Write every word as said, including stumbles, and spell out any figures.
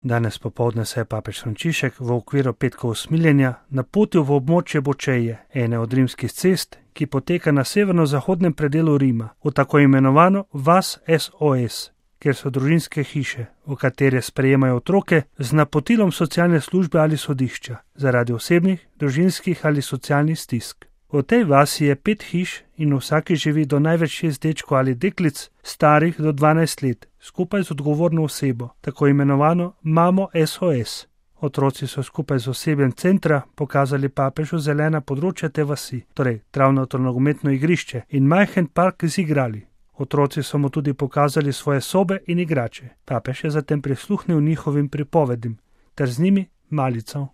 Danes popoldne se je papež Frančišek v okviru petkov usmiljenja napotil v območje Bočeje, ene od rimskih cest, ki poteka na severno-zahodnem predelu Rima, v tako imenovano vas S O S, kjer so družinske hiše, v katere sprejemajo otroke z napotilom socialne službe ali sodišča, zaradi osebnih, družinskih ali socialnih stisk. V tej vasi je pet hiš in v vsaki živi do največ šest dečkov ali deklic, starih do dvanajst let, skupaj z odgovorno osebo, tako imenovano mamo S O S. Otroci so skupaj z osebjem centra pokazali papežu zelena področja te vasi, torej travnato nogometno igrišče in majhen park z igrali. Otroci so mu tudi pokazali svoje sobe in igrače. Papež je zatem prisluhnil njihovim pripovedim ter z njimi malical.